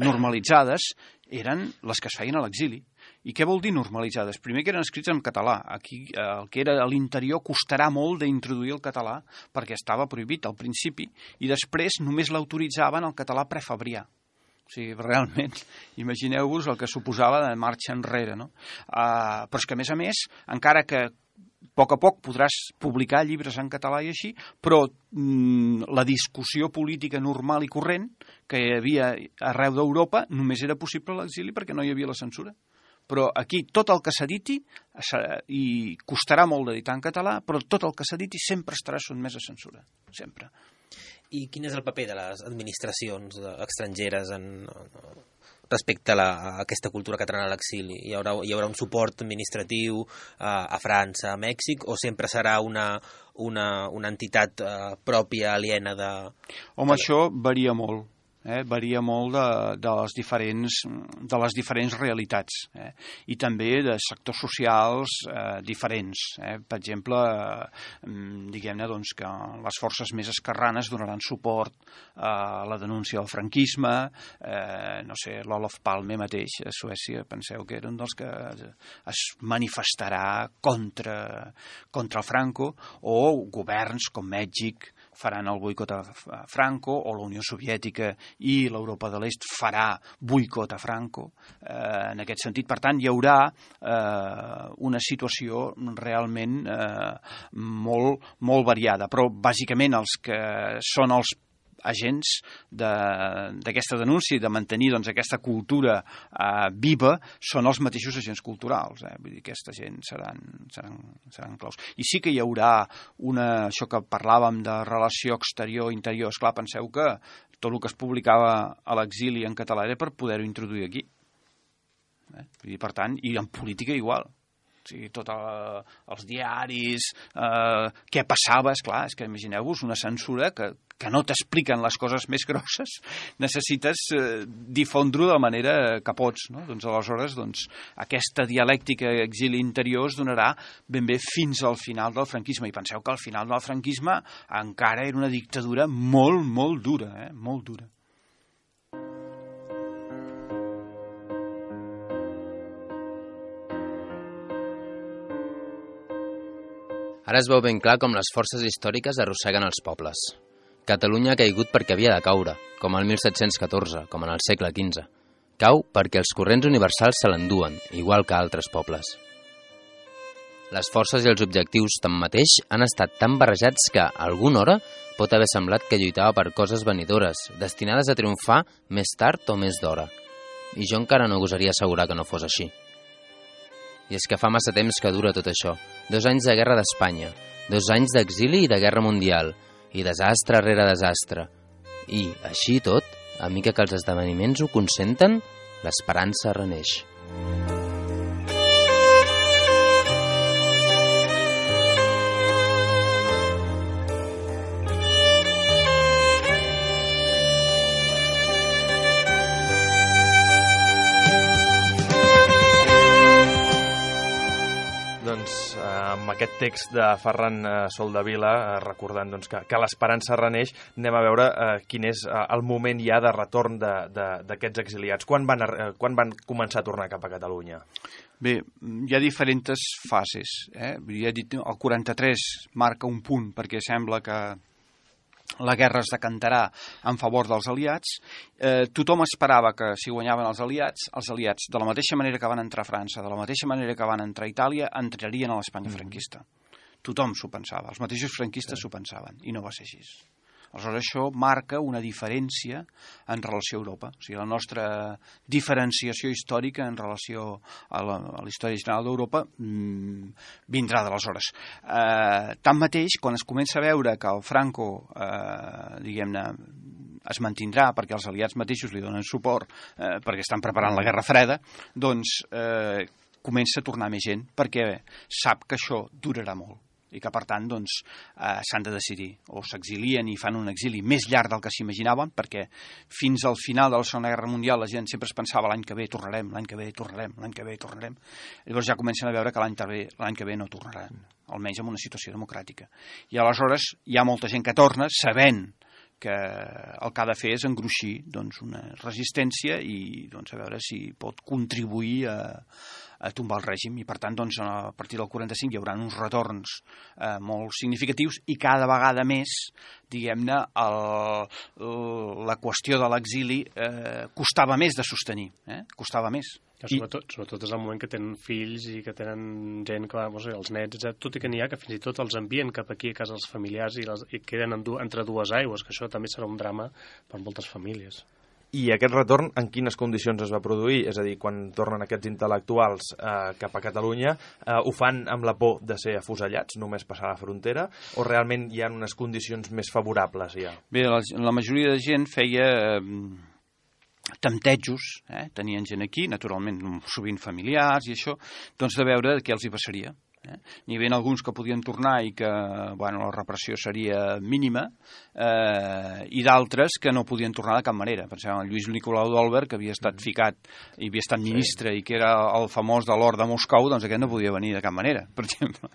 normalitzades eren les que es feien a l'exili. I què vol dir normalitzades? Primer que eren escrits en català. Aquí el que era a l'interior costarà molt d'introduir el català perquè estava prohibit al principi i després només l'autoritzaven el català prefabrià. O sigui, realment, imagineu-vos el que suposava de marxa enrere. No? Però és que, a més, encara que a poc podràs publicar llibres en català i així, però la discussió política normal i corrent que hi havia arreu d'Europa només era possible a l'exili perquè no hi havia la censura. Però aquí tot el que s'editi, i costarà molt d'editar en català, però tot el que s'editi sempre estarà sotmès a censura, sempre. I quin és el paper de les administracions estrangeres respecte a aquesta cultura catalana a l'exili? Hi haurà un suport administratiu a França, a Mèxic, o sempre serà una entitat pròpia, aliena de... Home, això varia molt. Varia molt de les diferents realitats i també de sectors socials diferents. Per exemple, diguem-ne que les forces més esquerranes donaran suport a la denúncia del franquisme, no sé, l'Olof Palme mateix a Suècia, penseu que era un dels que es manifestarà contra el Franco, o governs com Mèxic faran el boicot a Franco, o la Unió Soviètica i l'Europa de l'Est farà boicot a Franco. En aquest sentit, per tant, hi haurà una situació realment molt variada, però bàsicament els que són els agents d'aquesta denúncia i de mantenir aquesta cultura viva són els mateixos agents culturals. Vull dir, aquesta gent seran claus. I sí que hi haurà això que parlàvem de relació exterior-interior. Esclar, penseu que tot el que es publicava a l'exili en català era per poder-ho introduir aquí. Per tant, i en política igual. O sigui, tots els diaris, què passava, esclar, és que imagineu-vos una censura que no t'expliquen les coses més grosses, necessites difondre-ho de la manera que pots, no? Doncs aleshores, aquesta dialèctica exili interior es donarà ben bé fins al final del franquisme, i penseu que al final del franquisme encara era una dictadura molt, molt dura, molt dura. Ara es veu ben clar com les forces històriques arrosseguen els pobles. Catalunya ha caigut perquè havia de caure, com al 1714, com en el segle XV. Cau perquè els corrents universals se l'enduen, igual que altres pobles. Les forces i els objectius, tanmateix, han estat tan barrejats que, a alguna hora, pot haver semblat que lluitava per coses venidores, destinades a triomfar més tard o més d'hora. I jo encara no gosaria assegurar que no fos així. I és que fa massa temps que dura tot això. 2 anys de guerra d'Espanya, 2 anys d'exili i de guerra mundial, i desastre rere desastre. I, així i tot, a mica que els esdeveniments ho consenten, l'esperança reneix. Amb aquest text de Ferran Soldevila, recordant que l'esperança reneix, anem a veure quin és el moment ja de retorn d'aquests exiliats. Quan van començar a tornar cap a Catalunya? Bé, hi ha diferents fases. Ja he dit, el 43 marca un punt, perquè sembla que la guerra es decantarà en favor dels aliats. Tothom esperava que si guanyaven els aliats, de la mateixa manera que van entrar a França, de la mateixa manera que van entrar a Itàlia, entrarien a l'Espanya franquista. Tothom s'ho pensava, els mateixos franquistes s'ho pensaven, i no va ser així. Aleshores, això marca una diferència en relació a Europa. O sigui, la nostra diferenciació històrica en relació a la història general d'Europa vindrà d'aleshores. Tanmateix, quan es comença a veure que el Franco, diguem-ne, es mantindrà perquè els aliats mateixos li donen suport, perquè estan preparant la Guerra Freda, doncs comença a tornar més gent, perquè sap que això durarà molt i que, per tant, s'han de decidir. O s'exilien i fan un exili més llarg del que s'imaginaven, perquè fins al final de la Segona Guerra Mundial la gent sempre es pensava l'any que ve tornarem, l'any que ve tornarem, l'any que ve tornarem. Llavors ja comencen a veure que l'any que ve no tornaran, almenys en una situació democràtica. I aleshores hi ha molta gent que torna sabent que el que ha de fer és engruixir una resistència i a veure si pot contribuir a tombar el règim, i per tant a partir del 45 hi haurà uns retorns molt significatius i cada vegada més, diguem-ne, la qüestió de l'exili costava més de sostenir, costava més. Sobretot és el moment que tenen fills i que tenen gent que els nets, tot i que n'hi ha que fins i tot els envien cap aquí a casa dels familiars i queden entre dues aigües, que això també serà un drama per moltes famílies. I aquest retorn en quines condicions es va produir? És a dir, quan tornen aquests intel·lectuals cap a Catalunya, ho fan amb la por de ser afusellats, només passar la frontera, o realment hi ha unes condicions més favorables ja? Bé, la majoria de gent feia temptejos, tenien gent aquí, naturalment sovint familiars i això, de veure què els hi passaria. N'hi havia alguns que podien tornar i que la repressió seria mínima, i d'altres que no podien tornar de cap manera. Pensem en Lluís Nicolau d'Olwer, que havia estat ficat i havia estat ministre i que era el famós de l'or de Moscou, doncs aquest no podia venir de cap manera, per exemple.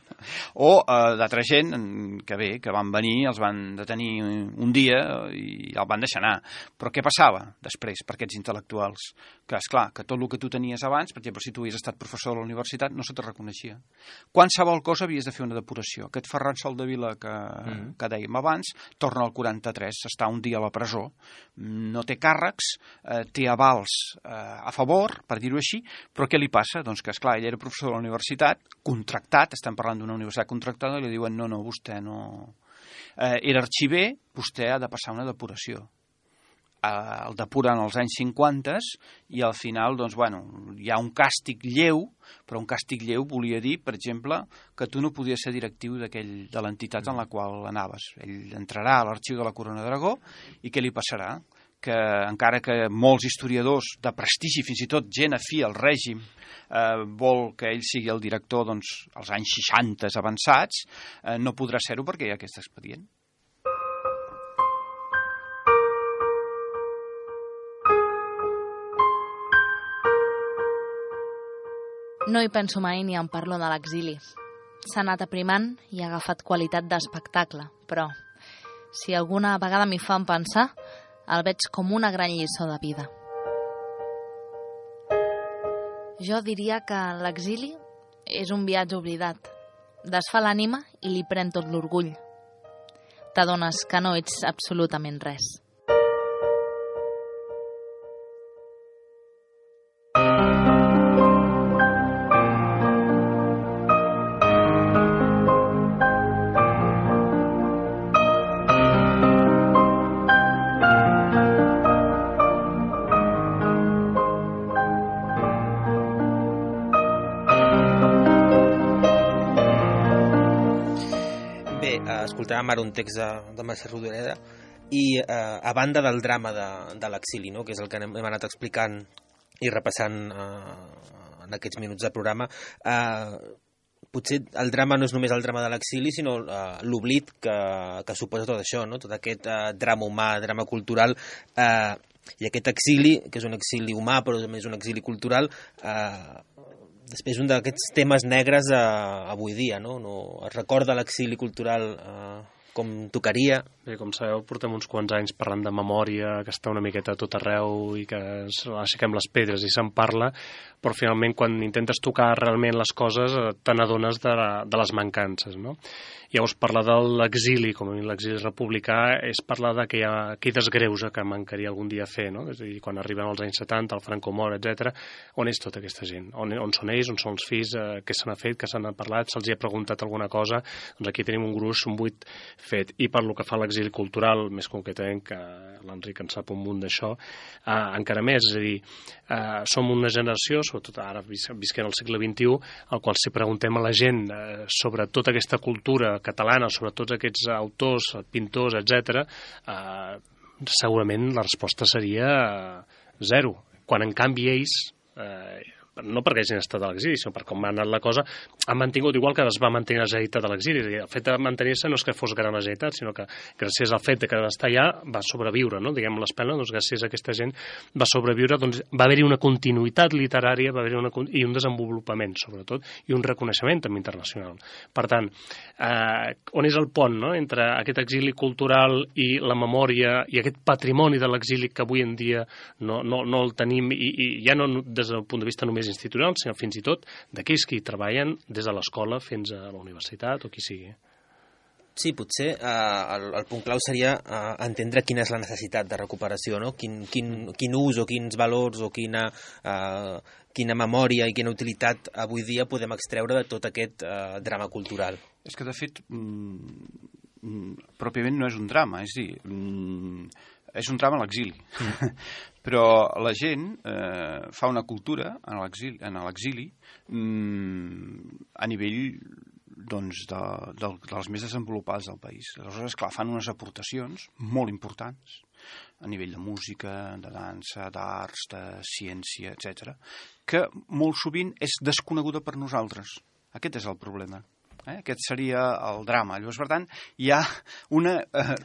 O d'altra gent que van venir, els van detenir un dia i el van deixar anar. Però què passava després per aquests intel·lectuals? Que, esclar, que tot el que tu tenies abans, per exemple, si tu havies estat professor de la universitat, no se te reconeixia. Qualsevol cosa havies de fer una depuració. Aquest Ferran Soldevila que dèiem abans torna al 43, està un dia a la presó, no té càrrecs, té avals a favor, per dir-ho així, però què li passa? Doncs que, esclar, ell era professor de la universitat, contractat, estem parlant d'una universitat contractada, i li diuen no, vostè no... Era arxiver, vostè ha de passar una depuració. El depuren als anys 50 i al final hi ha un càstig lleu, però un càstig lleu volia dir, per exemple, que tu no podies ser directiu de l'entitat en la qual anaves. Ell entrarà a l'arxiu de la Corona d'Aragó i què li passarà? que encara que molts historiadors de prestigi, fins i tot gent afí al règim, vol que ell sigui el director doncs, als anys 60 avançats, no podrà ser-ho perquè hi ha aquest expedient. No hi penso mai ni en parlo de l'exili. S'ha anat aprimant i ha agafat qualitat d'espectacle, però si alguna vegada m'hi fan pensar, el veig com una gran lliçó de vida. Jo diria que l'exili és un viatge oblidat. Desfà l'ànima i li pren tot l'orgull. T'adones que no ets absolutament res. Escoltàvem ara un text de Mercè Rodoreda i a banda del drama de l'exili, no? Que és el que hem anat explicant i repassant en aquests minuts de programa, potser el drama no és només el drama de l'exili, sinó l'oblit que suposa tot això, no? Tot aquest drama humà, drama cultural, i aquest exili, que és un exili humà però també és un exili cultural, després un d'aquests temes negres avui dia, no? Es recorda l'exili cultural com tocaria. Bé, com sabeu, portem uns quants anys parlant de memòria, que està una miqueta a tot arreu i que aixequem les pedres i se'n parla, però finalment quan intentes tocar realment les coses te n'adones de les mancances, no? Llavors, parlar de l'exili, com a mi l'exili republicà, és parlar de que hi ha qui desgreuja que mancaria algun dia fer, no? És a dir, quan arribem als anys 70, el Franco mor, etc. On és tota aquesta gent? On són ells? On són els fills? Què se n'ha fet? Què se n'ha parlat? Se'ls hi ha preguntat alguna cosa? Doncs aquí tenim un gruix, un buit fet. I per lo que fa a l'exili cultural, més concretament, que l'Enric en sap un munt d'això, encara més, és a dir, som una generació, sobretot ara visquent al segle XXI, al qual si preguntem a la gent sobre tota aquesta cultura catalana, sobre tots aquests autors, pintors, etc., segurament la resposta seria zero. Quan en canvi ells, no perquè hagin estat a l'exili, sinó per com ha anat la cosa, han mantingut, igual que es va mantenir la Generalitat de l'exili. El fet de mantenir-se no és que fos gran la Generalitat, sinó que gràcies al fet de que està allà va sobreviure, no? Diguem l'espelma, doncs gràcies a aquesta gent va sobreviure, doncs va haver-hi una continuïtat literària, va haver-hi i un desenvolupament, sobretot, i un reconeixement també internacional. Per tant, on és el pont, no?, entre aquest exili cultural i la memòria i aquest patrimoni de l'exili que avui en dia no el tenim, i ja no des del punt de vista només institucional, sinó fins i tot d'aquells que hi treballen des de l'escola fins a la universitat o qui sigui. Sí, potser el punt clau seria entendre quina és la necessitat de recuperació, no? Quin ús o quins valors o quina memòria i quina utilitat avui dia podem extreure de tot aquest drama cultural. És que, de fet, pròpiament no és un drama, és a dir, és un drama a l'exili. Però la gent fa una cultura en l'exili a nivell dels més desenvolupats del país. Aleshores, clar, fan unes aportacions molt importants a nivell de música, de dansa, d'arts, de ciència, etc., que molt sovint és desconeguda per nosaltres. Aquest és el problema. Aquest seria el drama. Llavors, per tant, hi ha una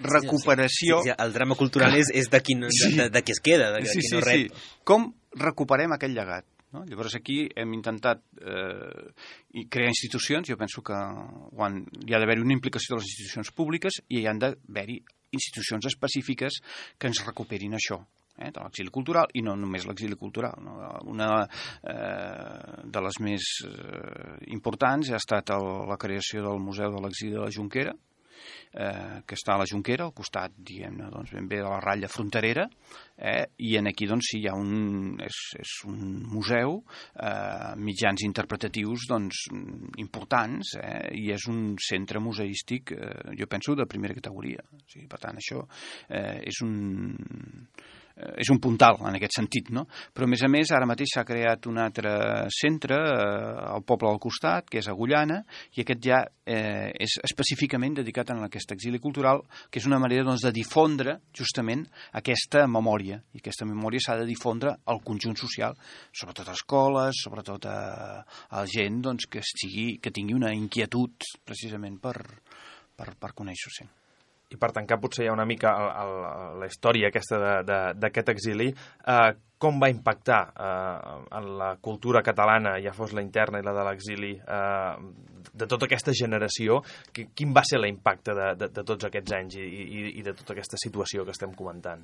recuperació... Sí, el drama cultural és de qui es queda, de qui no rep. Sí. Com recuperem aquell llegat? No? Llavors, aquí hem intentat crear institucions. Jo penso que hi ha d'haver-hi una implicació de les institucions públiques i hi han d'haver-hi institucions específiques que ens recuperin això. De l'exili cultural, i no només l'exili cultural. No? Una de les més importants ha estat la creació del Museu de l'Exili de la Jonquera, que està a la Jonquera, al costat, diguem-ne, doncs, ben bé de la ratlla fronterera, i aquí doncs, sí, hi ha és un museu, mitjans interpretatius doncs, importants, i és un centre museístic, jo penso, de primera categoria. O sigui, per tant, això és és un puntal en aquest sentit, no? Però a més ara mateix s'ha creat un altre centre al poble al costat, que és Agullana, i aquest ja és específicament dedicat a aquest exili cultural, que és una manera doncs, de difondre justament aquesta memòria, i aquesta memòria s'ha de difondre al conjunt social, sobretot a escoles, sobretot a gent doncs, que tingui una inquietud precisament per conèixer-ho. I per tancar potser ja una mica la història aquesta d'aquest exili, com va impactar en la cultura catalana, ja fos la interna i la de l'exili, de tota aquesta generació? Quin va ser l'impacte de tots aquests anys i de tota aquesta situació que estem comentant?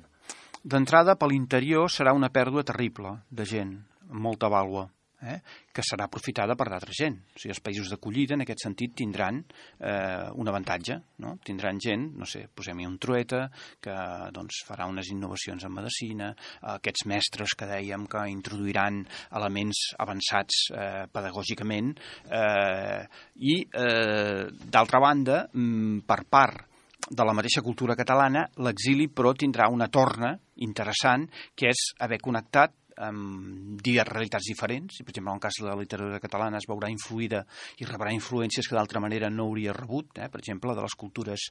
D'entrada, per l'interior serà una pèrdua terrible de gent, amb molta vàlua, que serà aprofitada per d'altra gent. O sigui, els països d'acollida, en aquest sentit, tindran un avantatge, no? Tindran gent, no sé, posem-hi un Trueta, que doncs, farà unes innovacions en medicina, aquests mestres que dèiem que introduiran elements avançats pedagògicament, i, d'altra banda, per part de la mateixa cultura catalana, l'exili, però, tindrà una torna interessant, que és haver connectat amb realitats diferents. Per exemple, en el cas de la literatura catalana es veurà influïda i rebrà influències que d'altra manera no hauria rebut, per exemple, de les cultures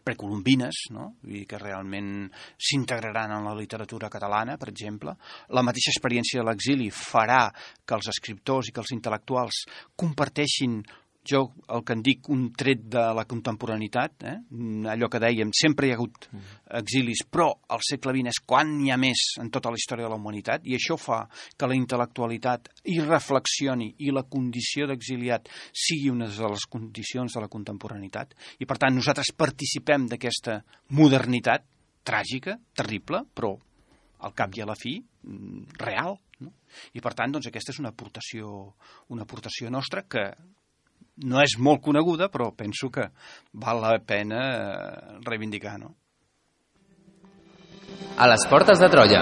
precolombines, no? I que realment s'integraran en la literatura catalana, per exemple. La mateixa experiència de l'exili farà que els escriptors i que els intel·lectuals comparteixin, jo el que en dic, un tret de la contemporaneitat, allò que dèiem, sempre hi ha hagut exilis, però al segle XX és quan n'hi ha més en tota la història de la humanitat, i això fa que la intel·lectualitat hi reflexioni i la condició d'exiliat sigui una de les condicions de la contemporaneitat, i per tant nosaltres participem d'aquesta modernitat tràgica, terrible, però al cap i a la fi real, no? I per tant doncs, aquesta és una aportació nostra que no és molt coneguda, però penso que val la pena reivindicar, no? A les portes de Troia.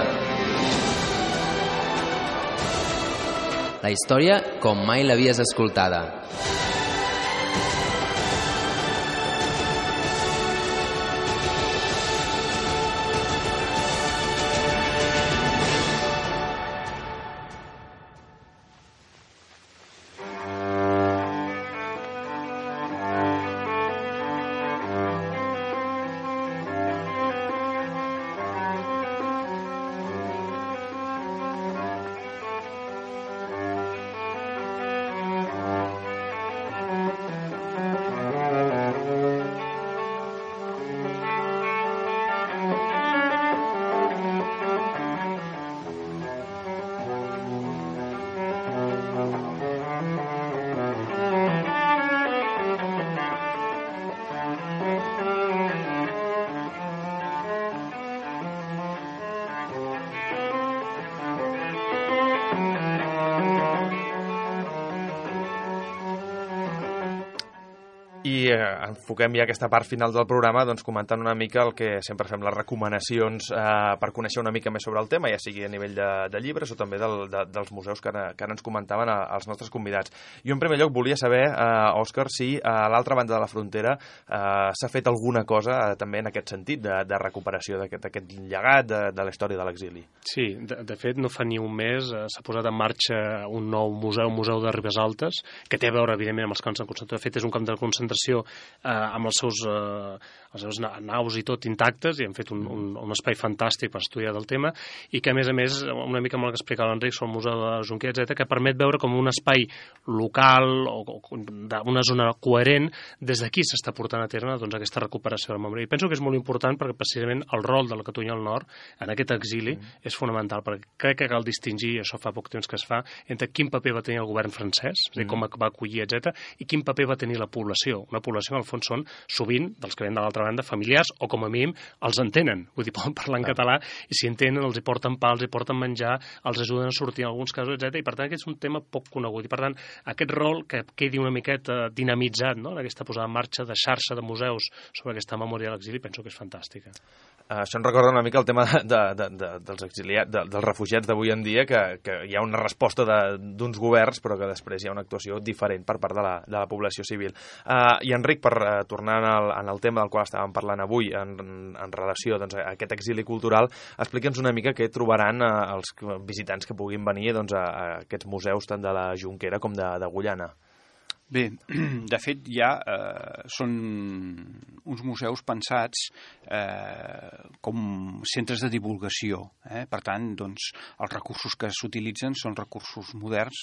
La història com mai l'havies escoltada. I enfoquem ja aquesta part final del programa doncs, comentant una mica el que sempre fem, les recomanacions per conèixer una mica més sobre el tema, ja sigui a nivell de llibres o també dels museus que ara ens comentaven els nostres convidats. Jo en primer lloc volia saber, Òscar, si a l'altra banda de la frontera s'ha fet alguna cosa també en aquest sentit de recuperació d'aquest llegat de la història de l'exili. Sí, de fet no fa ni un mes s'ha posat en marxa un nou museu, un museu de Ribes Altes, que té a veure evidentment amb els camps de concentració. De fet és un camp de concentració amb els seus naus i tot intactes, i han fet un espai fantàstic per estudiar del tema, i que a més una mica amb el que explicava l'Enric sobre el Museu de Junquer, etc., que permet veure com un espai local o d'una zona coherent, des d'aquí s'està portant a terme doncs, aquesta recuperació de la memòria. I penso que és molt important perquè precisament el rol de la Catalunya del Nord en aquest exili és fonamental, perquè crec que cal distingir, i això fa poc temps que es fa, entre quin paper va tenir el govern francès, és a dir, com va acollir, etc., i quin paper va tenir la població. Una població, en el fons, són sovint, dels que ven de l'altra banda, familiars, o com a mínim els entenen, vull dir, poden parlar en català, i si entenen, els hi porten pa, els hi porten menjar, els ajuden a sortir en alguns casos, etc. I per tant aquest és un tema poc conegut, i per tant aquest rol que quedi una miqueta dinamitzat, no?, en aquesta posada en marxa de xarxa de museus sobre aquesta memòria de l'exili, penso que és fantàstica. Això em recorda una mica el tema dels exiliats, dels refugiats d'avui en dia, que hi ha una resposta d'uns governs, però que després hi ha una actuació diferent per part de la població civil. I Enric, per tornar en el tema del qual estàvem parlant avui, en relació doncs, a aquest exili cultural, explica'ns una mica què trobaran els visitants que puguin venir doncs, a aquests museus tant de la Jonquera com d'Agullana. Bé, de fet ja són uns museus pensats com centres de divulgació. Per tant, doncs, els recursos que s'utilitzen són recursos moderns.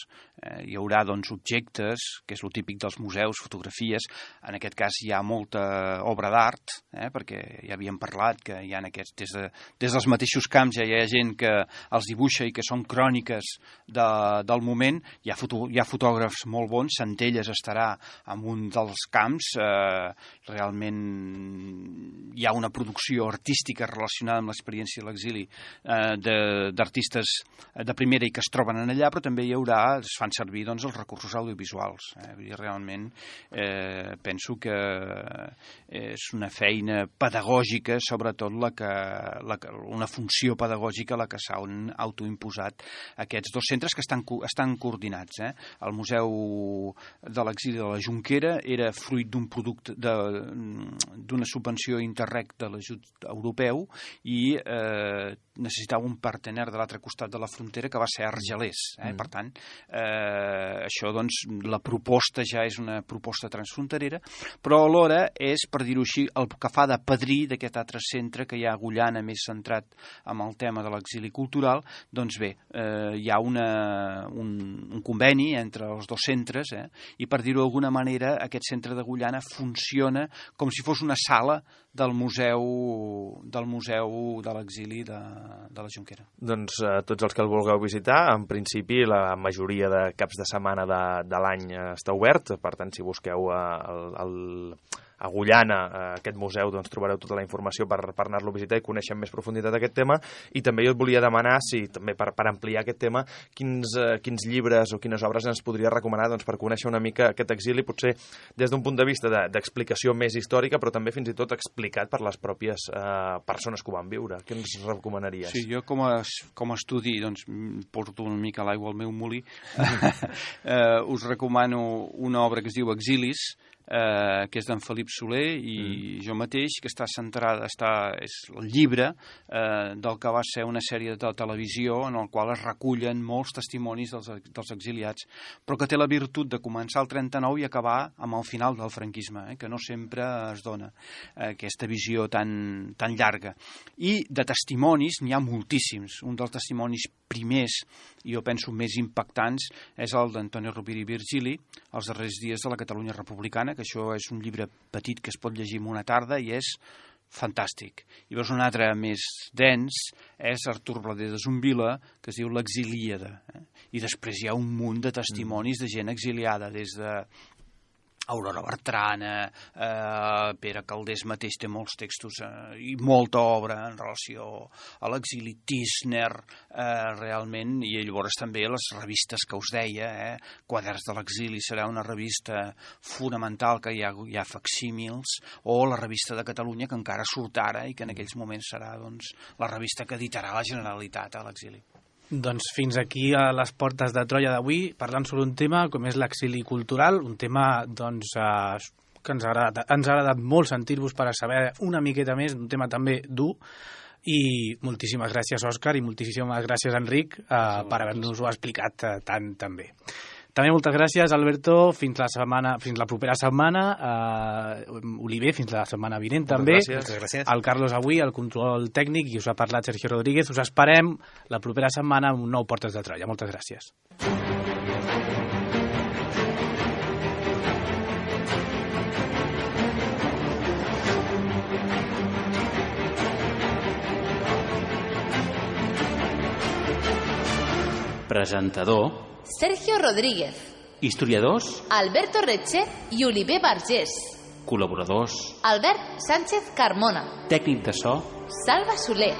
Hi haurà doncs, objectes, que és el típic dels museus, fotografies. En aquest cas hi ha molta obra d'art, perquè ja havíem parlat que hi ha aquests, des dels mateixos camps ja hi ha gent que els dibuixa i que són cròniques del moment. Hi ha fotògrafs molt bons, Centelles estarà en un dels camps, realment hi ha una producció artística relacionada amb l'experiència de l'exili d'artistes de primera i que es troben allà, però també es fan servir doncs, els recursos audiovisuals. Realment penso que és una feina pedagògica, sobretot una funció pedagògica la que s'han autoimposat aquests dos centres que estan coordinats. El Museu de l'Exili de la Jonquera era fruit d'un producte d'una subvenció Interreg de l'ajut europeu i necessitava un partener de l'altre costat de la frontera que va ser Argelers. Per tant, això, doncs, la proposta ja és una proposta transfronterera, però alhora és, per dir-ho així, el que fa de padrí d'aquest altre centre que hi ha a Agullana, més centrat en el tema de l'exili cultural. Doncs bé, hi ha un conveni entre els dos centres i, per dir-ho d'alguna manera, aquest centre d'Agullana funciona com si fos una sala del museu de l'exili de la Jonquera. Doncs tots els que el vulgueu visitar, en principi la majoria de caps de setmana de l'any està obert, per tant si busqueu Agullana, aquest museu, doncs trobareu tota la informació per anar-lo a visitar i conèixer amb més profunditat aquest tema. I també jo et volia demanar, si també per ampliar aquest tema, quins llibres o quines obres ens podria recomanar doncs, per conèixer una mica aquest exili, potser des d'un punt de vista d'explicació més històrica, però també fins i tot explicat per les pròpies persones que ho van viure. Què ens recomanaries? Sí, jo com a estudi, doncs, porto una mica l'aigua al meu molí, us recomano una obra que es diu Exilis, que és d'en Felip Soler i jo mateix, que està centrada, és el llibre del que va ser una sèrie de televisió en el qual es recullen molts testimonis dels exiliats, però que té la virtut de començar el 39 i acabar amb el final del franquisme, que no sempre es dona aquesta visió tan llarga. I de testimonis n'hi ha moltíssims. Un dels testimonis primers, i jo penso més impactants, és el d'Antonio Rovira i Virgili, Els darrers dies de la Catalunya republicana, que això és un llibre petit que es pot llegir en una tarda i és fantàstic. I llavors un altre més dens és Artur Blader de Zumbila, que es diu L'Exilíada. I després hi ha un munt de testimonis de gent exiliada, des de Aurora Bertrana, Pere Calders mateix té molts textos i molta obra en relació a l'exili, Tisner, realment, i llavors també les revistes que us deia, Quaderns de l'exili serà una revista fonamental que hi ha facsímils, o la revista de Catalunya, que encara surt ara i que en aquells moments serà doncs, la revista que editarà la Generalitat a l'exili. Doncs fins aquí a les portes de Troia d'avui, parlant sobre un tema com és l'exili cultural, un tema doncs, que ens ha agradat molt sentir-vos per a saber una miqueta més, un tema també dur, i moltíssimes gràcies, Òscar, i moltíssimes gràcies, Enric, per haver-nos-ho explicat tan bé. També moltes gràcies, Alberto, fins la propera setmana, Oliver, fins la setmana vinent també, el Carlos avui, el control tècnic, i us ha parlat Sergio Rodríguez. Us esperem la propera setmana amb un nou Portes de Troia. Moltes gràcies. Presentador Sergio Rodríguez. Historiadors Alberto Retxe i Oliver Vergés. Col·laboradors Albert Sánchez Carmona. Tècnic de so Salva Soler.